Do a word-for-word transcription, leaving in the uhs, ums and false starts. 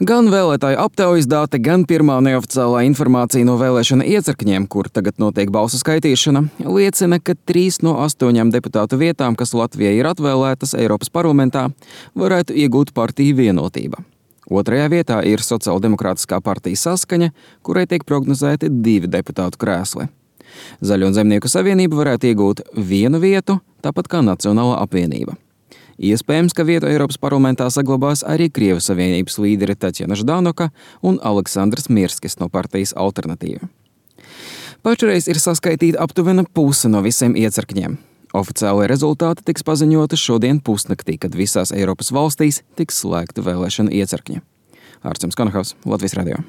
Gan vēlētāju aptaujas dati, gan pirmā neoficiālā informācija no vēlēšana iecirkņiem, kur tagad notiek balsu skaitīšana, liecina, ka trīs no astoņām deputātu vietām, kas Latvijai ir atvēlētas Eiropas parlamentā, varētu iegūt partiju Vienotība. Otrajā vietā ir Sociāldemokrātiskā partija Saskaņa, kurai tiek prognozēti divi deputātu krēsli. Zaļo un Zemnieku savienība varētu iegūt vienu vietu, tāpat kā Nacionālā apvienība. Iespējams, ka vietu Eiropas parlamentā saglabās arī Krievijas Savienības līderi Taķjana Ždanoka un Aleksandrs Mirskis no partijas Alternatīva. Pašreiz ir saskaitīta aptuvena puse no visiem iecirkņiem. Oficiālie rezultāti tiks paziņoti šodien pusnaktī, kad visās Eiropas valstīs tiks slēgti vēlēšana iecirkņi. Ārsts Konahaus, Latvijas radio.